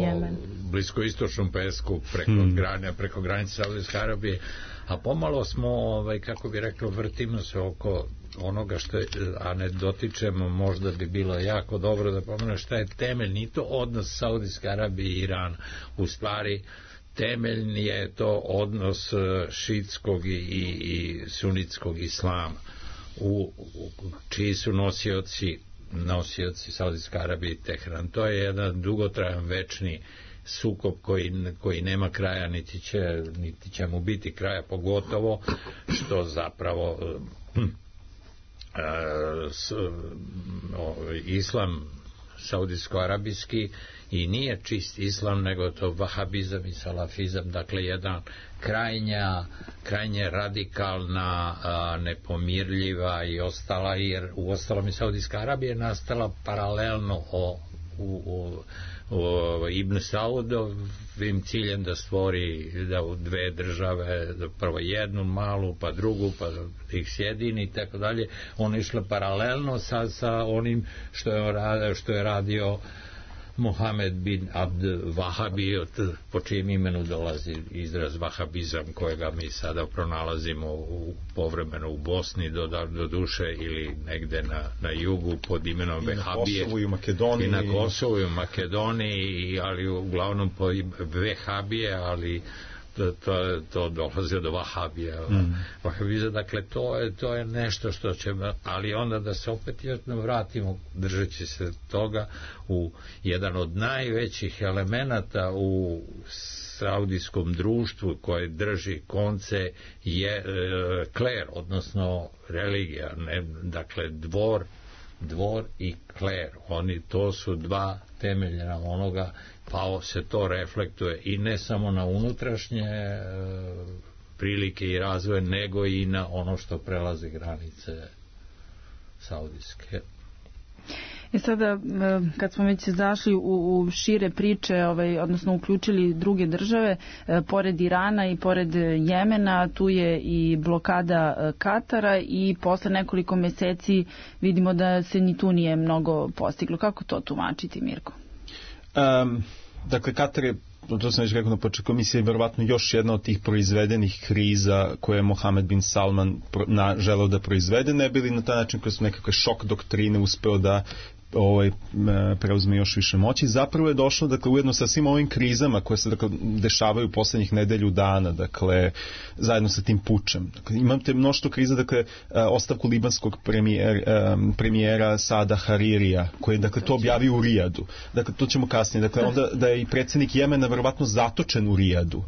bliskoistočnom pesku preko, hmm. grane, preko granice Saudijske Arabije, a pomalo smo, ovaj, kako bi rekao, vrtimo se oko onoga što je, a ne dotičemo, možda bi bilo jako dobro da pomenu šta je temeljni to odnos Saudijske Arabije i Irana. U stvari temeljni je to odnos šiitskog i, i, i sunitskog islama, u, u čiji su nosioci nosioci Saudijske Arabije i Teheran. To je jedan dugotrajan večni sukob koji, koji nema kraja, niti će, niti će mu biti kraja, pogotovo što zapravo hm, s, o, islam saudijsko-arabijski i nije čist islam, nego to vahabizam i salafizam, dakle jedan krajnja, krajnje radikalna, a, nepomirljiva i ostala, jer u ostalom i Saudijska Arabija je nastala paralelno o u, u, u Ibn Saudovim ciljem da stvori da u dve države, prvo jednu malu, pa drugu, pa ih sjedini i tako dalje. On je išlo paralelno sa, sa onim što je, što je radio Mohamed bin Abd Vahabi, po čijem imenu dolazi izraz vahabizam, kojega mi sada pronalazimo u, povremeno u Bosni do, do duše ili negde na, na jugu pod imenom Vehabije. I na Kosovu i u Makedoniji. I na Kosovu i u Makedoniji, ali uglavnom po Vehabije, ali to, to, to dolazi od Vahabija. Mm. Vahabiza, dakle, to je, to je nešto što će, ali onda da se opet još vratimo, držeći se toga, u jedan od najvećih elemenata u saudijskom društvu koje drži konce je e, kler, odnosno religija, ne, dakle, dvor, dvor i kler. Oni, to su dva temeljena onoga, pa se to reflektuje i ne samo na unutrašnje e, prilike i razvoje, nego i na ono što prelazi granice saudijske. I sada, kad smo već zašli u, u šire priče, ovaj, odnosno uključili druge države, e, pored Irana i pored Jemena, tu je i blokada Katara i posle nekoliko meseci vidimo da se ni tu nije mnogo postiglo. Kako to tumačiti, Mirko? Um, dakle, Katar je, to sam već rekao na početku, komisija je verovatno još jedna od tih proizvedenih kriza koje je Mohamed bin Salman na, želeo da proizvede, ne bili na taj način kroz nekakve šok doktrine uspeo da ovaj, preuzme još više moći. Zapravo je došlo, dakle, ujedno sa svim ovim krizama koje se, dakle, dešavaju poslednjih nedelju dana, dakle, zajedno sa tim pučem. Dakle, imate mnoštvo kriza, dakle, ostavku libanskog premijer, premijera Sada Haririja, koji je, dakle, to objavio u Rijadu. Dakle, to ćemo kasnije. Dakle, onda da je i predsjednik Jemena verovatno zatočen u Rijadu.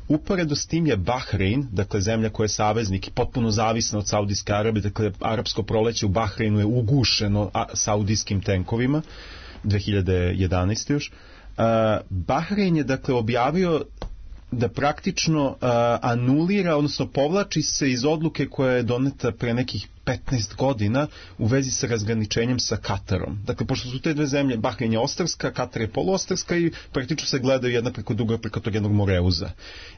Uporedo s tim je Bahrein, dakle, zemlja koja je saveznik i potpuno zavisna od Saudijske Arabije, dakle, arapsko proleće u Bahreinu je ugušeno saudijskim tenkovima, dve hiljade jedanaeste još. Uh, Bahrein je, dakle, objavio da praktično uh, anulira, odnosno povlači se iz odluke koja je doneta pre nekih petnaest godina u vezi sa razgraničenjem sa Katarom. Dakle, pošto su te dve zemlje, Bahrein je ostrvska, Katar je poluostrvska i praktično se gledaju jedna preko druga preko tog jednog Moreuza.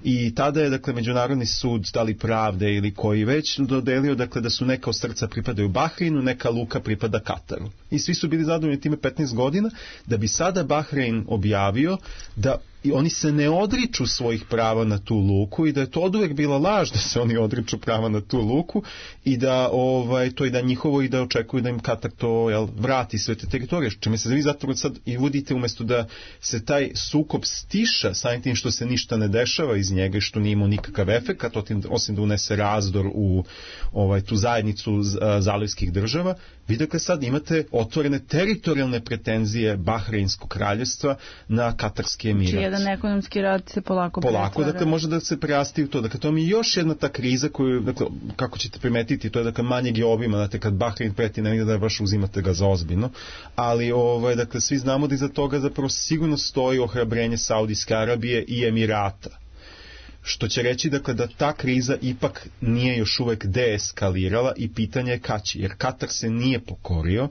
I tada je, dakle, Međunarodni sud, da li pravde ili koji već, dodelio, dakle, da su neka ostrvca pripadaju Bahreinu, neka luka pripada Kataru. I svi su bili zadovoljni time petnaest godina, da bi sada Bahrein objavio da i oni se ne odriču svojih prava na tu luku i da je to oduvek bila laž da se oni odriču prava na tu luku i da ovaj, to je da njihovo i da očekuju da im Katar to, jel, vrati sve te teritorije. Čime se vi zapravo sad i vodite, umjesto da se taj sukob stiša samim tim što se ništa ne dešava iz njega i što nije imao nikakav efekat, osim da unese razdor u ovaj, tu zajednicu zalivskih država. Vi, dakle, sad imate otvorene teritorijalne pretenzije Bahreinskog kraljevstva na Katarski emirat. Znači, jedan ekonomski rad se polako pretvara. Polako, dakle, može da se prerasti u to. Dakle, to mi je još jedna ta kriza koju, dakle, kako ćete primetiti, to je, dakle, manjeg je obima, dakle, kad Bahrein preti, ne da baš uzimate ga za ozbiljno, ali, ovaj, dakle, svi znamo da iza toga zapravo sigurno stoji ohrabrenje Saudijske Arabije i Emirata. Što će reći, dakle, da ta kriza ipak nije još uvek deeskalirala i pitanje je kad će, jer Katar se nije pokorio.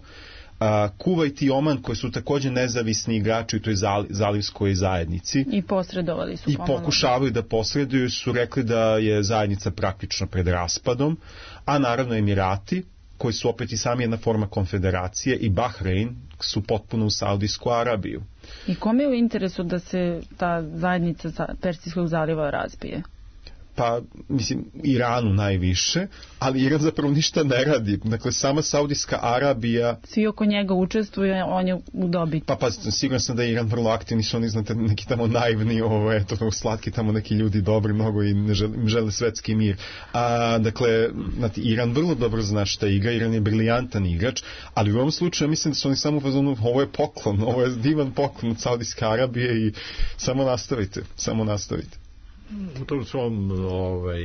A, Kuvajt i Oman, koji su također nezavisni igrači u toj zalivskoj zajednici i posredovali su i pokušavaju da posreduju, su rekli da je zajednica praktično pred raspadom, a naravno Emirati, koji su opet i sami jedna forma konfederacije, i Bahrein su potpuno u Saudijsku Arabiju. I kome je u interesu da se ta zajednica Persijskog zaliva razbije? Pa, mislim, Iranu najviše, ali Iran zapravo ništa ne radi. Dakle, sama Saudijska Arabija... Svi oko njega učestvuju, on je u dobiti. Pa, pa, siguran sam da je Iran vrlo aktivni, su oni, znate, neki tamo naivni, ovo, eto, slatki tamo neki ljudi dobri mnogo i ne žele, žele svetski mir. A, dakle, znate, Iran vrlo dobro zna šta igra, Iran je briljantan igrač, ali u ovom slučaju mislim da su oni samo u fazonu, ovo je poklon, ovo je divan poklon od Saudijske Arabije i samo nastavite, samo nastavite. U tom svom ovaj,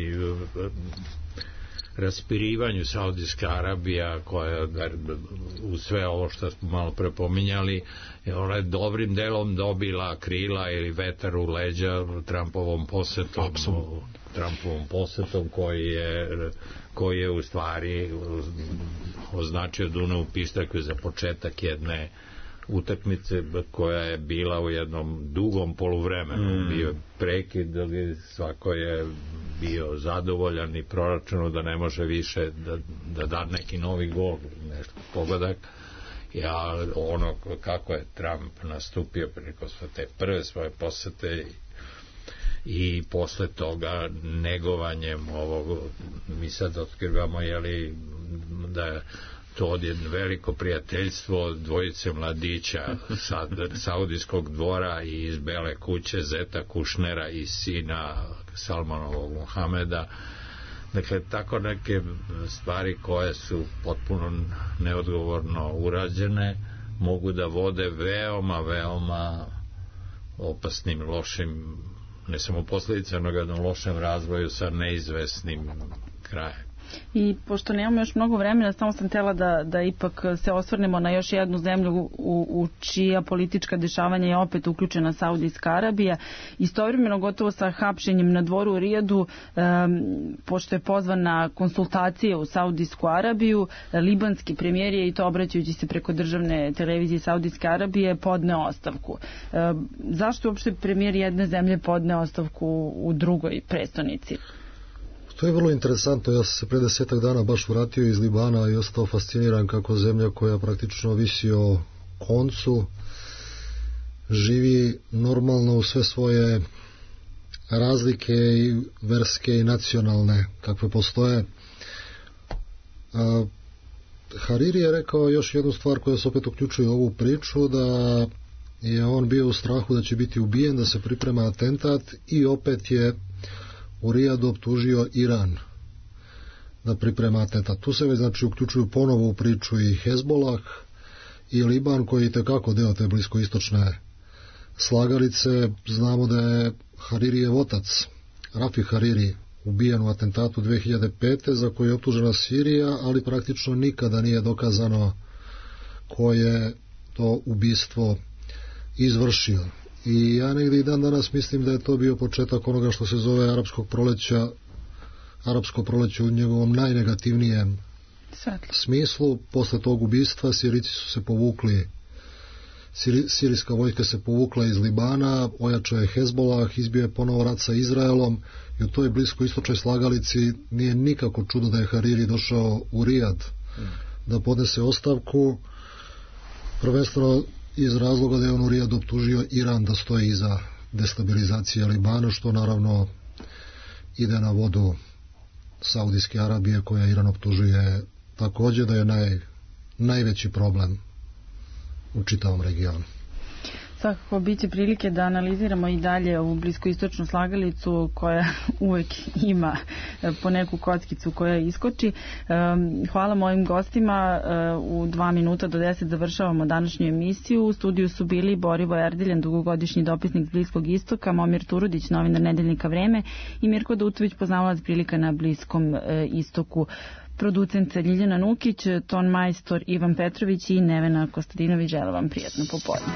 raspirivanju Saudijska Arabija, koja u sve ovo što smo malo prepominjali, ona je dobrim delom dobila krila ili vetar u leđa Trumpovom posetom. Absolutno. Trumpovom posetom koji je, koji je u stvari označio Dunav pištaljku za početak jedne utakmice koja je bila u jednom dugom poluvremenu. Mm. Bio prekid, ali svako je bio zadovoljan i proračunu da ne može više da, da da neki novi gol, nešto pogodak. Ja, ono kako je Trump nastupio preko te prve svoje posete i posle toga negovanjem ovog, mi sad otkrivamo jeli, da je to odjedno veliko prijateljstvo dvojice mladića sa saudijskog dvora i iz Bele kuće, zeta Kušnera i sina Salmanovog Mohameda. Dakle, tako neke stvari koje su potpuno neodgovorno urađene mogu da vode veoma, veoma opasnim, lošim, ne samo posledicama, nego jednom lošem razvoju sa neizvesnim krajem. I pošto nemamo još mnogo vremena, samo sam htjela da, da ipak se osvrnemo na još jednu zemlju u, u čija politička dešavanja je opet uključena Saudijska Arabija. Istovremeno gotovo sa hapšenjem na dvoru u Rijadu, um, pošto je pozvan na konsultacije u Saudijsku Arabiju, libanski premijer je, i to obraćajući se preko državne televizije Saudijske Arabije, podneo ostavku. Um, zašto uopšte premijer jedne zemlje podneo ostavku u drugoj prestonici? To je vrlo interesantno. Ja sam se pre desetak dana baš vratio iz Libana i ostao fasciniran kako zemlja koja praktično visi o koncu živi normalno u sve svoje razlike i verske i nacionalne kakve postoje. Hariri je rekao još jednu stvar koja se opet uključuje u ovu priču, da je on bio u strahu da će biti ubijen, da se priprema atentat, i opet je u Rijadu optužio Iran da priprema atentat. Tu se već znači uključuju ponovo u priču i Hezbolah i Liban, koji je itekako deo te bliskoistočne slagalice. Znamo da je Haririjev otac, Rafi Hariri, ubijen u atentatu dve hiljade pete za koji je optužena Sirija, ali praktično nikada nije dokazano ko je to ubistvo izvršio. I ja negdje i dan danas mislim da je to bio početak onoga što se zove arapskog proleća, arapsko proleće u njegovom najnegativnijem Svetlo. smislu. Posle tog ubistva Sirici su se povukli, Siri, sirijska vojska se povukla iz Libana, ojačao je Hezbolah, izbio je ponovo rat sa Izraelom, i u toj bliskoistočnoj slagalici nije nikako čudo da je Hariri došao u Rijad mm. da podnese ostavku, prvenstveno iz razloga da je on u Rijadu optužio Iran da stoji iza destabilizacije Libana, što naravno ide na vodu Saudijske Arabije, koja Iran optužuje također da je naj, najveći problem u čitavom regionu. Svakako biće prilike da analiziramo i dalje ovu bliskoistočnu slagalicu koja uvek ima po neku kockicu koja iskoči. Hvala mojim gostima. U dva minuta do deset završavamo današnju emisiju. U studiju su bili Borivo Erdiljan, dugogodišnji dopisnik Bliskog istoka, Momir Turudić, novinar Nedeljnika Vreme, i Mirko Dutović, poznavalac prilika na Bliskom istoku. Producent Ljiljana Nukić, ton majstor Ivan Petrović i Nevena Kostadinović. Želim vam prijatno popodne.